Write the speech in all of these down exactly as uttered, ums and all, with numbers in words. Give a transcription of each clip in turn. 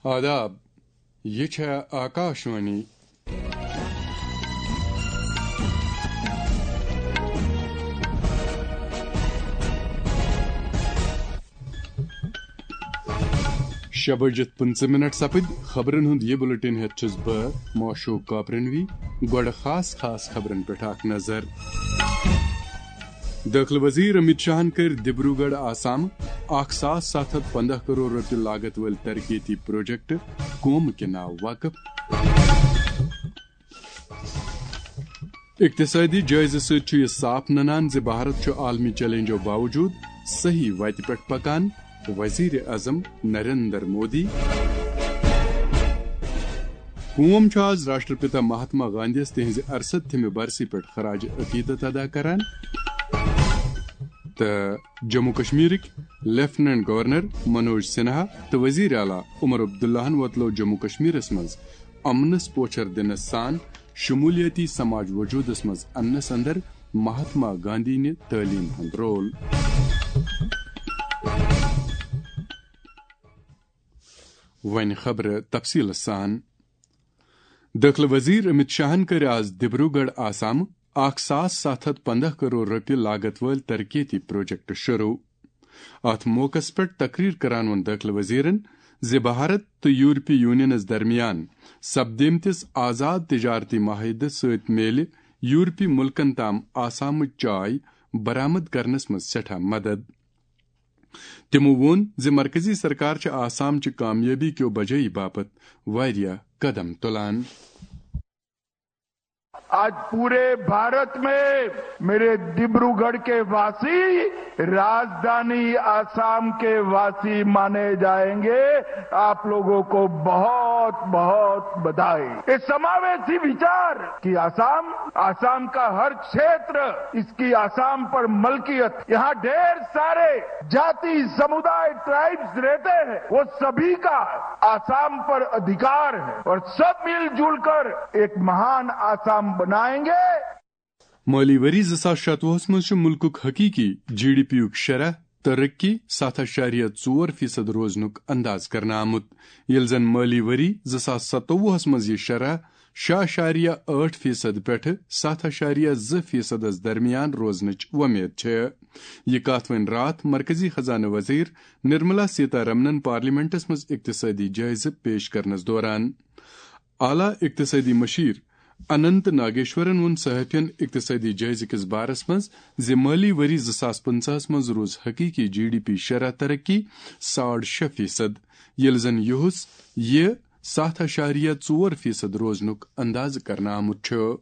آداب، یہِ چھےٚ آکاشوانی۔ شےٚ بجِتھ پٕنٛژٕہ منٹ سپٕدۍ۔ خبرن ہُنٛد یہِ بُلٹن ہٮ۪تھ چھُس بہٕ معشوق کاپرنوی۔ گۄڈٕ خاص خاص خبرن پٮ۪ٹھ اکھ نظر۔ دٲخلہٕ وزیر امت شاہن کٔرۍ ڈبروگڑھ آسام اکھ ساس ستھ ہتھ پنٛداہ کرور رۄپیہِ لاگت وٲلۍ ترقیتی پروجیکٹ قوم کے ناو وقف۔ اقتصادی جٲیزٕ سۭتۍ چھُ یہِ صاف ننان زِ بھارت چھُ عالمی چیلنجو باوجود صحیح وتہِ پٮ۪ٹھ پکان، وزیر اعظم نریندر مودی۔ قوم چھُ آز راشٹرپتا مہاتما گاندھیَس تِہنٛزِ ارستھمہِ برسی پٮ۪ٹھ خراج عقیدت ادا کران۔ تہٕ جموں کشمیرٕکۍ لیفٹیننٹ گورنر منوج سنہا تہٕ وزیر اعلیٰ عمر عبداللہن وۄتلٲو جموں کشمیرس منٛز امنس پوچھر دِنس سان شمولیتی سماج وجودس منٛز اننس اندر مہاتما گاندھی نہِ تعلیٖم ہُنٛد رول۔ وۄنۍ خبرٕ تفصیٖلہٕ سان۔ دٲخلہٕ وزیر امت شاہن کٔرۍ آز ڈبروگڑھ آسام اکھ ساس ستھ ہتھ پنٛداہ کرور رۄپیہِ لاگت وٲلۍ ترقیتی پروجیکٹ شروع۔ اتھ موقعس پٮ۪ٹھ تقریر کران ووٚن دٲخلہٕ وزیرن زِ بھارت تہٕ یورپی یونینس درمیان سپدیمتِس آزاد تجارتی معاہدٕ سۭتۍ میلہِ یورپی ملکن تام آسامٕچ چاے برآمد کرنس منٛز سٮ۪ٹھاہ مدد۔ تِمو ووٚن زِ مرکزی سرکار چھِ آسام چہِ کامیٲبی کیو بجٲیی باپتھ واریاہ قدم تُلان۔ आज पूरे भारत में मेरे डिब्रूगढ़ के वासी राजधानी आसाम के वासी माने जाएंगे। आप लोगों को बहुत बहुत बधाई। ये समावेशी विचार कि आसाम, आसाम का हर क्षेत्र, इसकी आसाम पर मलकियत, यहाँ ढेर सारे जाति, समुदाय, ट्राइब्स रहते हैं, वो सभी का आसाम पर अधिकार है और सब मिलजुल कर एक महान आसाम बनाएंगे। مٲلی ؤری زٕ ساس شتوُہس منٛز چھُ مُلکُک حقیٖقی جی ڈی پی یُک شرح ترقی ستھ اعشاریہ ژور فیصد روزنُک انداز کرنہٕ آمُت، ییٚلہِ زن مٲلی ؤری زٕ ساس ستووُہس منٛز یہِ شرح شےٚ اعشاریہ ٲٹھ فیصد پٮ۪ٹھٕ ستھ اعشاریہ زٕ فیصدس درمیان روزنٕچ وۄمید چھےٚ۔ یہِ کتھ وۄنۍ راتھ مرکزی خزانہٕ وزیر نرملا سیتا رمنن پارلیمنٹس منٛز اقتصٲدی جٲیزٕ پیش کرنس دوران۔ اعلیٰ اقتصٲدی مشیر اننت ناگیشورن ووٚن صحافین اقتصٲدی جٲیزٕ کِس بارس منٛز زِ مٲلی ؤری زٕ ساس پٕنٛژٕہس منٛز روٗز حقیٖقی جی ڈی پی شرح ترقی ساڑ شےٚ فیصد، ییٚلہِ زن یُہُس یہِ ستھ اعشاریہ ژور فیصد روزنُک اندازٕ کرنہٕ آمُت چھُ۔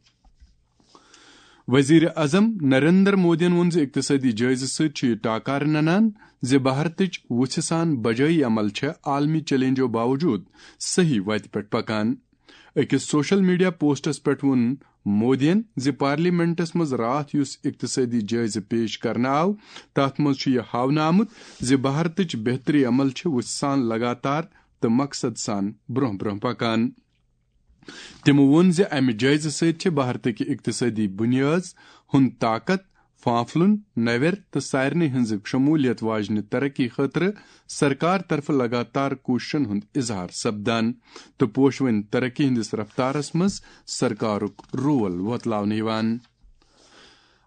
وزیر اعظم نریندر مودیَن ووٚن زِ اقتصٲدی جٲیزٕ سۭتۍ چھُ یہِ ٹاکارٕ ننان زِ بھارتٕچ وُژھِ سان بجٲیی عمل چھےٚ عالمی چیلنجو باوجود صحیح وتہِ پٮ۪ٹھ پکان۔ أکِس سوشل میڈیا پوسٹس پٮ۪ٹھ ووٚن مودیَن زِ پارلیمنٹس منٛز راتھ یُس اقتصٲدی جٲیزٕ پیش کرنہٕ آو، تتھ منٛز چھُ یہِ ہاونہٕ آمُت زِ بھارتٕچ بہتری عمل چھِ وُژھِ سان لگاتار تہٕ مقصد سان برٛونٛہہ برٛونٛہہ پکان۔ تِمو ووٚن زِ امہِ جٲیزٕ سۭتۍ چھِ بھارتٕکہِ اقتصٲدی بُنیٲز ہُنٛد طاقت، فانفلُن، نوٮ۪ر تہٕ سارنٕے ہٕنٛزِ شموٗلیت واجنہِ ترقی خٲطرٕ سرکار طرفہٕ لگاتار کوٗششن ہُنٛد اظہار سپدان تہٕ پوشوٕنۍ ترقی ہٕنٛدِس رفتارس منٛز سرکارُک رول وۄتلاونہٕ یِوان۔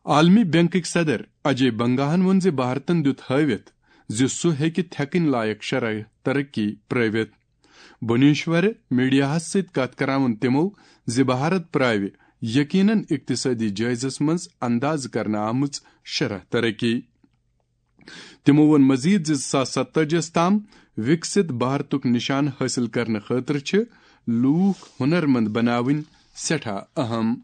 عالمی بینکٕکۍ صدر اجے بنگاہن ووٚن زِ بھارتن دیُت ہٲوِتھ زِ سُہ ہیٚکہِ تھٮ۪کٕنۍ لایق شرح ترقی پرٲوِتھ۔ بھونیشور میڈیاہس سۭتۍ کتھ کران ووٚن تِمو زِ بھارت پراوِ یقیناً اقتصٲدی جٲیزس منٛز اندازٕ کرنہٕ آمٕژ شرح ترقی۔ تِمو ووٚن مزید زِ زٕ ساس ستٲجی یس تام وِکسِت بھارتُک نشانہٕ حٲصِل کرنہٕ خٲطرٕ چھِ لوٗکھ ہُنرمند بناوٕنۍ سٮ۪ٹھاہ اہم۔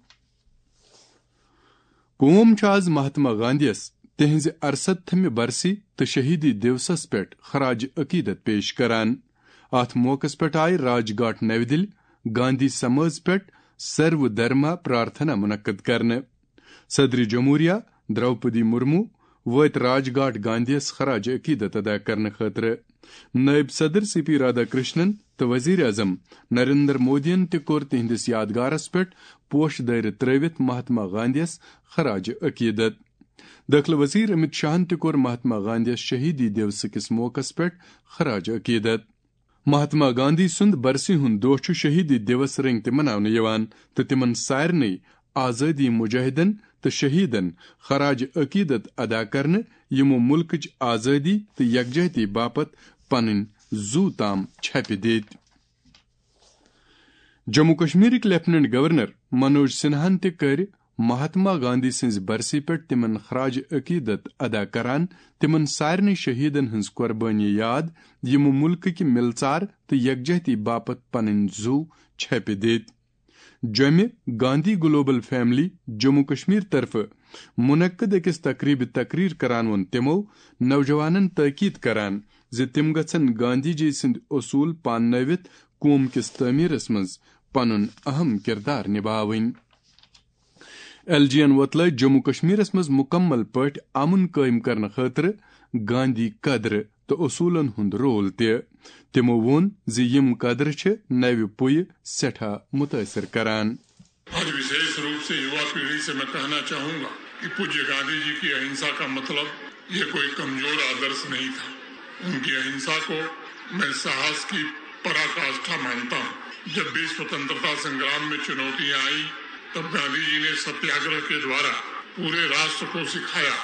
قوم چھُ آز مہاتما گاندھیَس تِہنٛزِ ارستھمہِ برسی تہٕ شہیدی دیوسس پٮ۪ٹھ خراج عقیدت پیش کران۔ اتھ موقعس پٮ۪ٹھ آیہِ راج گھاٹ نَوِ دِلہِ گاندھی سمٲژ پٮ۪ٹھ سرو دھرما پرارتھنا منعقد کرنہٕ۔ صدر جمہوریہ دروپدی مرمو وٲتۍ راج گھاٹ گاندھیَس خراج عقیدت ادا کرنہٕ خٲطرٕ۔ نٲیِب صدر سی پی رادھا کرشنن تہٕ وزیر اعظم نریندر مودیَن تہِ کوٚر تِہنٛدِس یادگارس پٮ۪ٹھ پوشہٕ دٲرِتھ ترٲوِتھ مہاتما گاندھیَس خراج عقیدت۔ دٲخلہٕ وزیر امت شاہن تہِ کوٚر مہاتما گاندھیَس شہیدی دیوسہٕ کِس موقعس پٮ۪ٹھ خراج عقیدت۔ مہاتما گاندھی سُنٛد برسی ہُنٛد دۄہ چھُ شہیدی دیوس رٔنگۍ تہِ مناونہٕ یِوان تہٕ تِمن سارنٕے آزٲدی مجاہدن تہٕ شہیدن خراج عقیدت ادا کرنہٕ، یِمو ملکٕچ آزٲدی تہٕ یکجہتی باپتھ پنٕنۍ زُو تام چھپہِ دِتۍ۔ جموں کشمیرٕکۍ لیفٹیننٹ گورنر منوج سنہاہن تہِ کٔرۍ مہاتما گاندھی سٕنٛزِ برسی پٮ۪ٹھ تِمن خراج عقیدت ادا کران، تِمن سارنٕے شہیدن ہٕنٛز قربٲنی یاد، یِمو ملکٕکۍ مِلژار تہٕ یکجہتی باپتھ پنٕنۍ زُو چھپہِ دِتۍ۔ جوٚمہِ گاندھی گلوبل فیملی جموں کشمیر طرفہٕ منعقد أکِس تقریبہِ تقریر کران ووٚن تِمو نوجوانن تاکید کران زِ تِم گژھن گاندھی جی سٕنٛدۍ اصوٗل پاننٲوِتھ قوم کِس تعمیرس منٛز پنُن اہم کردار نباوٕنۍ۔ ایل جی ین وۄتلٲوۍ جموں کشمیرس منٛز مکمل پٲٹھۍ امن قٲیِم کرنہٕ خٲطرٕ گاندھی قدرٕ تہٕ اصوٗلن ہُنٛد رول تہِ۔ تِمو ووٚن زِ یِم قدرٕ چھِ نوِ پُیہِ سٮ۪ٹھاہ مُتٲثِر کران۔ आज विशेष रूप से युवा पीढ़ी से मैं कहना चाहूंगा कि पूज्य गांधी जी की अहिंसा का मतलब ये कोई कमजोर आदर्श नहीं था। उनकी अहिंसा को मैं साहस की पराकाष्ठा मानता हूँ। जब भी स्वतंत्रता संग्राम में चुनौतियां आई, तब गांधी जी ने सत्याग्रह के द्वारा पूरे राष्ट्र को सिखाया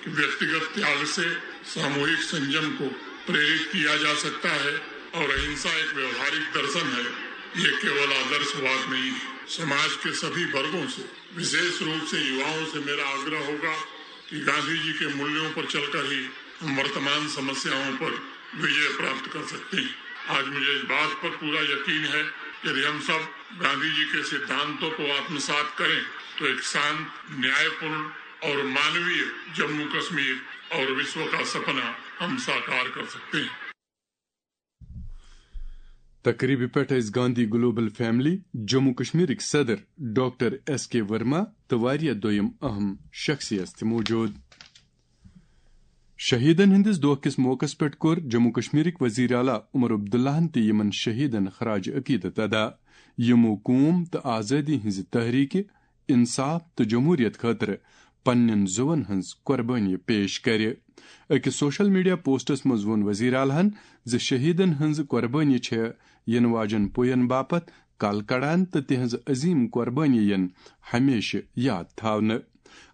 कि व्यक्तिगत त्याग से सामूहिक संयम को प्रेरित किया जा सकता है और अहिंसा एक व्यवहारिक दर्शन है। ये केवल आदर्शवाद नहीं है। समाज के सभी वर्गों से, विशेष रूप से युवाओं से मेरा आग्रह होगा कि गांधी जी के मूल्यों पर चलकर ही हम वर्तमान समस्याओं पर विजय प्राप्त कर सकते हैं। आज मुझे इस बात पर पूरा यकीन है, यदि हम सब गांधी जी के सिद्धांतों को आत्मसात करें, तो एक शांत, न्यायपूर्ण और मानवीय जम्मू कश्मीर और विश्व का सपना हम साकार कर सकते हैं। تقریبہِ پٮ۪ٹھ ٲسۍ گاندھی گلوبل فیملی جموں کشمیرٕکۍ صدر ڈاکٹر ایس کے ورما تہٕ واریاہ دوٚیِم اہم شخصیت تہِ موجود۔ شہیدن ہٕنٛدِس دۄہ کِس موقعس پٮ۪ٹھ کوٚر جموں کشمیرٕکۍ وزیر اعلیٰ عمر عبداللہن تہِ یِمن شہیدن خراج عقیدت ادا، یِمو قوم تہٕ آزٲدی ہٕنٛزِ تحریکہِ، انصاف تہٕ جمہوریت خٲطرٕ پننٮ۪ن زُوَن ہٕنٛز قربٲنی پیش کرِ۔ أکِس سوشل میڈیا پوسٹس منٛز ووٚن وزیر اعلیٰ ہن زِ شہیدن ہٕنٛز قربٲنی چھےٚ یِنہٕ واجٮ۪ن پُین باپتھ کل کڑان تہٕ تِہنٛز عظیم قربٲنی یِن ہمیشہٕ یاد تھاونہٕ۔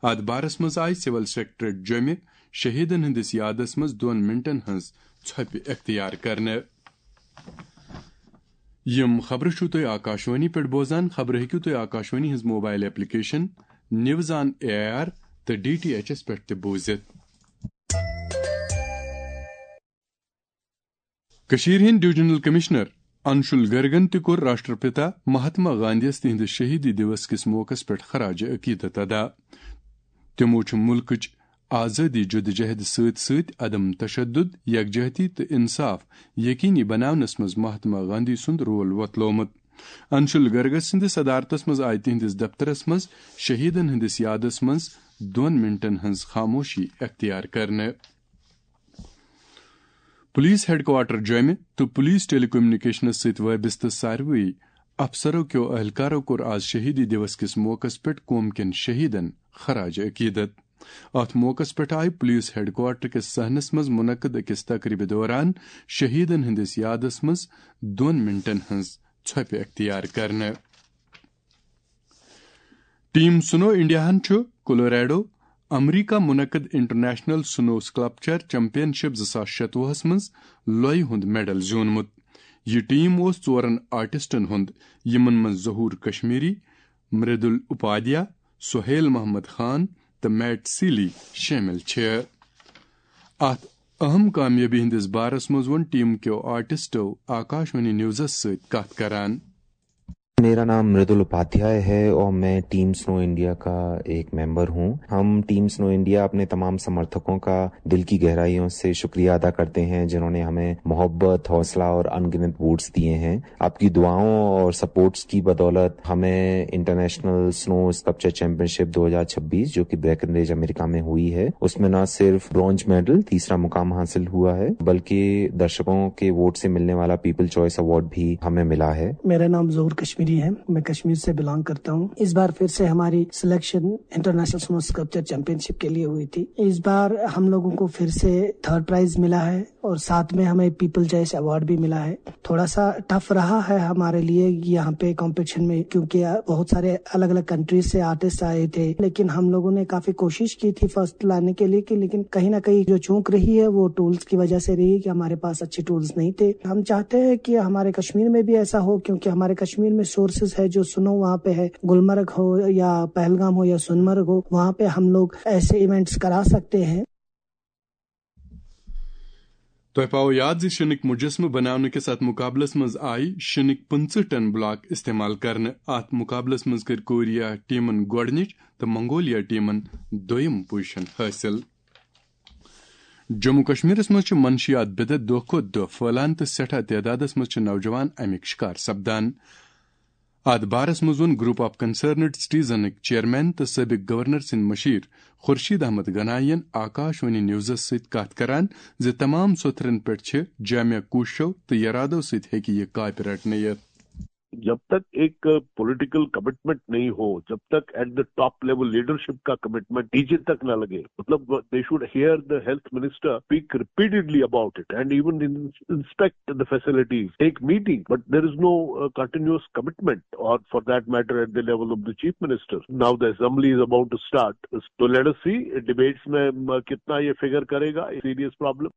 اتھ بارس منٛز آیہِ سول سیکرٹریٹ جوٚمہِ شہیدن ہٕنٛدِس یادس منٛز دۄن منٹن ہٕنٛز ژھۄپہِ اختیار کرنہٕ۔ یِم خبرٕ چھِو تُہۍ آکاشوانی پٮ۪ٹھ بوزان۔ خبرٕ ہیٚکِو تُہۍ آکاشوانی ہٕنٛز mobile application news on A R تہٕ ڈی ٹی ایچ ایس پٮ۪ٹھ تہِ بوٗزِتھ۔ کٔشیٖرِ ہٕنٛدۍ ڈویژنل کمشنر انشول گرگن تہِ کوٚر راشٹرپتا مہاتما گاندھیَس تِہنٛدِس شہیدی دیوس کِس موقعس پٮ۪ٹھ خراج عقیدت ادا۔ تِمو چھُ مُلکٕچ آزٲدی جدوجہد سۭتۍ سۭتۍ عدم تشدد، یکجہتی تہٕ انصاف یقینی بناونس منٛز مہاتما گاندھی سُنٛد رول وۄتلومُت۔ انشول گرگ سٕنٛدِس صدارتس منٛز آیہِ تِہنٛدِس دفترس منٛز شہیدن ہٕنٛدِس یادس منٛز دۄن منٹن ہٕنٛز خاموشی اختیار کرنہٕ۔ پولیس ہیڈکوارٹر جوٚمہِ تہٕ پولیس ٹیلی کمیونیکیشنس سۭتۍ وابستہٕ ساروٕے افسرو کیو اہلکارو کوٚر آز شہیدی دیوس کِس موقعس پٮ۪ٹھ قوم کٮ۪ن شہیدن خراج عقیدت۔ اتھ موقعس پٮ۪ٹھ آیہِ پولیس ہیڈکوارٹر کِس صحنس منٛز منعقد أکِس تقریبہِ دوران شہیدن ہٕنٛدِس یادس منٛز دۄن منٹن ہٕنٛز ژھۄپہِ اختیار کرنہٕ۔ ٹیم سنو انڈیاہن چھُ کولوریڈو، امریکہ منعقد انٹرنیشنل سنو سکلپچر چیمپین شپ زٕ ساس شتوُہس منٛز لۄیہِ ہُنٛد میڈل زیوٗنمُت۔ یہِ ٹیم اوس ژورن آرٹسٹن ہُنٛد، یِمن منٛز ظہور کشمیری، مریدل اپادھیا، سہیل محمد خان تہٕ میٹ سیلی شٲمِل چھِ۔ اتھ اہم کامیٲبی ہٕنٛدِس بارس منٛز ووٚن ٹیم کیو آرٹسٹو آکاشوانی نیوزس سۭتۍ کتھ کران۔ मेरा नाम मृदुल उपाध्याय है और मैं टीम स्नो इंडिया का एक मेंबर हूं। हम टीम स्नो इंडिया अपने तमाम समर्थकों का दिल की गहराइयों से शुक्रिया अदा करते हैं, जिन्होंने हमें मोहब्बत, हौसला और अनगिनत वोट्स दिए हैं। आपकी दुआओं और सपोर्ट्स की बदौलत हमें इंटरनेशनल स्नो स्कल्पचर चैंपियनशिप दो हज़ार छब्बीस, जो कि ब्रेकनरिज अमेरिका में हुई है, उसमें ना सिर्फ ब्रॉन्ज मेडल, तीसरा मुकाम हासिल हुआ है, बल्कि दर्शकों के वोट से मिलने वाला पीपल चॉइस अवार्ड भी हमें मिला है। मेरा नाम जहूर कश्मीरी है। मैं कश्मीर से बिलोंग करता हूँ। इस बार फिर से हमारी selection international snow sculpture championship के लिए हुई थी। इस बार हम लोगों को फिर से थर्ड प्राइज मिला है और साथ में हमें पीपल चॉइस अवार्ड भी मिला है। थोड़ा सा टफ रहा है हमारे लिए यहाँ पे कंपटीशन में, क्योंकि बहुत सारे अलग अलग कंट्रीज से आर्टिस्ट आए थे, लेकिन हम लोगों ने काफी कोशिश की थी फर्स्ट लाने के लिए कि, लेकिन कहीं ना कहीं जो चूक रही है वो टूल्स की वजह से रही कि हमारे पास अच्छे टूल्स नहीं थे। हम चाहते हैं कि हमारे कश्मीर में भी ऐसा हो, क्योंकि हमारे कश्मीर में सोर्सेज है, जो स्नो वहाँ पे है, गुलमर्ग हो या पहलगाम हो या सोनमर्ग हो, वहाँ पे हम लोग ऐसे इवेंट्स करा सकते हैं। تۄہہِ پاوو یاد زِ شِنٕکۍ مُجسمہٕ بناونہٕ کِس اتھ مُقابلس منٛز آیہِ شِنٕکۍ پٕنٛژٕہ ٹن بلاک استعمال کرنہٕ۔ اتھ مُقابلس منٛز کٔر کوریا ٹیمن گۄڈٕنِچ تہٕ منگولیا ٹیمن دوٚیِم پوزیشن حٲصِل۔ جموں کشمیرس منٛز چھِ منشیات بدعت دۄہ کھۄتہٕ دۄہ پھٔہلان تہٕ سٮ۪ٹھاہ تعدادس منٛز چھِ نوجوان اَمِکۍ شِکار سپدان۔ اتھ بارس منٛز ووٚن گروپ آف کنسرنڈ سٹیزنٕکۍ چیئرمین تہٕ سٲبق گورنر سٕنٛدۍ مشیر خورشید احمد گنایی ین آکاش وانی نیوزس سۭتۍ کتھ کران زِ تمام سوٚتھرن پٮ۪ٹھ چھِ جامع کوٗششو تہٕ یرادو سۭتۍ ہیٚکہِ یہِ کاپہِ رٹنہٕ یِتھ۔ جب تک ایک پولیٹیکل کمٹمنٹ نہیں ہو، جب تک at the top level leadership کا کمٹمنٹ نیچے تک نہ لگے، مطلب they should hear the health minister speak repeatedly about it and even inspect the facilities, take meeting, but there is no continuous commitment, or for that matter at the level of the chief minister. Now the assembly is about to start, so let us see debates میں کتنا یہ figure کرے گا serious problem.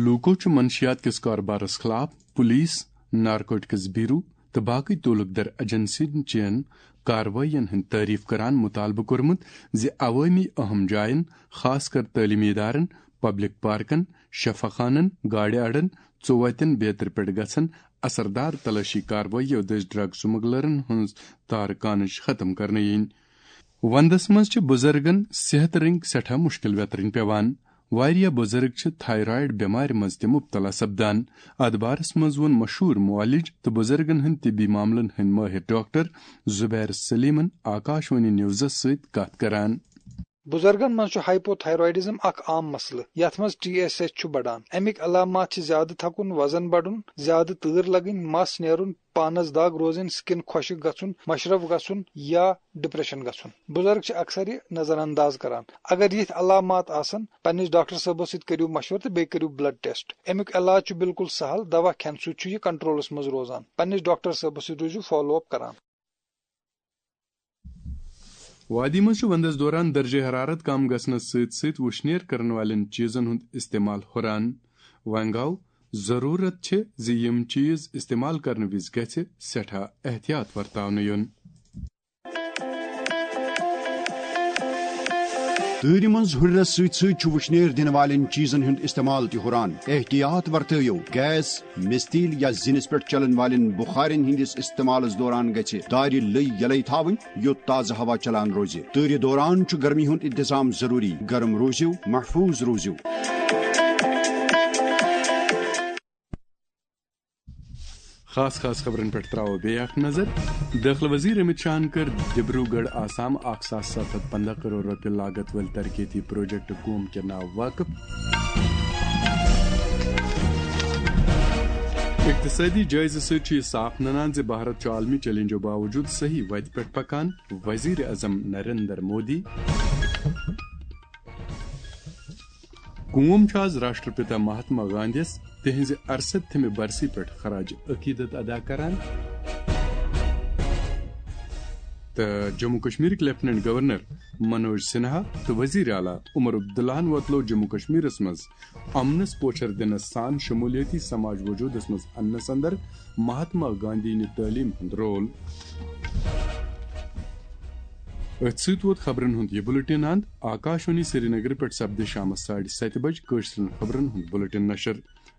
لوٗکو چھُ منشیات کِس کارٕبارس خٕلاف پُلیٖس، نارکوٹکس بیورو تہٕ باقٕے تعلق در ایجنسین چین کاروٲیین ہٕنٛز تعریف کران مطالبہٕ کوٚرمُت زِ عوٲمی اہم جاین، خاص کر تعلیمی ادارن، پبلک پارکن، شفا خانن، گاڑِ اڈن، ژوتن بیترِ پٮ۪ٹھ گژھن اثردار تلٲشی کاروٲییو دٔسۍ ڈرگ سمگلرن ہٕنٛز تارٕ کانٕچ ختم کرنہٕ یِنۍ۔ وندس منٛز چھِ بُزرگن صحت رٔنگۍ سٮ۪ٹھاہ مُشکِل ویترٕنۍ پٮ۪وان۔ واریاہ بُزرگ چھِ تھایرایڈ بٮ۪مارِ منٛز تہِ مُبتلا سپدان۔ اتھ بارس منٛز ووٚن مشہوٗر معالج تہٕ بُزرگن ہٕنٛدۍ طبی معاملن ہٕنٛدۍ مٲہِر ڈاکٹر زبیر سلیمن آکاش وانی نیوزس سۭتۍ کتھ کران۔ بُزرگن منٛز چھُ ہائپو تھایرائیڈزم اکھ عام مسلہٕ، یتھ منٛز ٹی ایس ایچ چھُ بڑان۔ امیِکۍ علامات چھِ زیادٕ تھکُن، وزن بڑُن، زیادٕ تۭر لگٕنۍ، مس نیرُن، پانس دگ روزٕنۍ، سکن خۄشک گژھُن، مشرف گژھُن یا ڈپریشن گژھُن۔ بُزرگ چھِ اکثر یہِ نظر انداز کران۔ اگر یِتھۍ علامات آسن، پننِس ڈاکٹر صٲبس سۭتۍ کٔرِو مشورٕ تہٕ بیٚیہِ کٔرِو بلڈ ٹیسٹ۔ امیُک علاج چھُ بالکل سہل، دوا کھٮ۪نہٕ سۭتۍ چھُ یہِ کنٹرولس منٛز روزان۔ پننِس ڈاکٹر صٲبس سۭتۍ روٗزِو فالو اپ کران۔ وادی منٛز چھُ وندس دوران درجہ حرارت کم گژھنس سۭتۍ سۭتۍ وُشنیر کرن والٮ۪ن چیزن ہُنٛد استعمال ہُران۔ وۄنۍ گوٚو، ضروٗرت چھِ زِ یِم چیز استعمال کرنہٕ وِزِ گژھِ سٮ۪ٹھاہ احتیاط ورتاونہٕ یُن۔ تۭرِ منٛز ہُرنس سۭتۍ سۭتۍ چھُ وُشنیر دِنہٕ والٮ۪ن چیزن ہُنٛد استعمال تہِ ہُران۔ احتیاط ورتٲیِو، گیس، مِستیٖل یا زِنِس پٮ۪ٹھ چلن والٮ۪ن بُخارٮ۪ن ہٕنٛدِس استعمالس دوران گژھِ دارِ لٔۍ یلے تھاوٕنۍ، یُتھ تازٕ ہوا چلان روزِ۔ تۭرِ دوران چھُ گرمی ہُنٛد انتظام ضروٗری۔ گرم روٗزِو، محفوٗظ روٗزِو۔ خاص خاص خبرن پٮ۪ٹھ ترٛاوو بیٚیہِ اکھ نظر۔ دٲخلہٕ وزیر امت شاہن کٔر ڈبروگڑھ آسام اکھ ساس ستھ ہتھ پنٛداہ کرور رۄپیہِ لاگت وٲلۍ ترقیتی پروجیکٹ قوم کے ناو وقف۔ اقتصٲدی جٲیزٕ سۭتۍ چھُ یہِ صاف ننان زِ بھارت چھُ عالمی چیلنجو باوجود صحیح وتہِ پٮ۪ٹھ پکان، وزیر اعظم نریندر مودی۔ قوم چھُ آز راشٹرپتا مہاتما گاندھیَس تِہنٛزِ ارستھمہِ برسی پٮ۪ٹھ خراج عقیدت ادا کران۔ تہٕ جموں کشمیرٕکۍ لیفٹیننٹ گورنر منوج سنہا تہٕ وزیر اعلیٰ عمر عبداللہَن وۄتلوو جموں کشمیرس منٛز امنس پوچھر دِنس سان شمولیتی سماج وجودس منٛز اننس اندر مہاتما گاندھی نہِ تعلیٖم ہُنٛد رول۔ أتھۍ سۭتۍ ووت خبرن ہُنٛد یہِ بُلٹن اند۔ آکاشوانی سرینگر پٮ۪ٹھ سپدِ شامس ساڑِ ستہِ بجہِ کٲشرٮ۪ن خبرن ہُنٛد بُلٹن نشر۔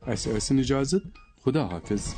اسہِ ٲسِن اجازت۔ خدا حافظ۔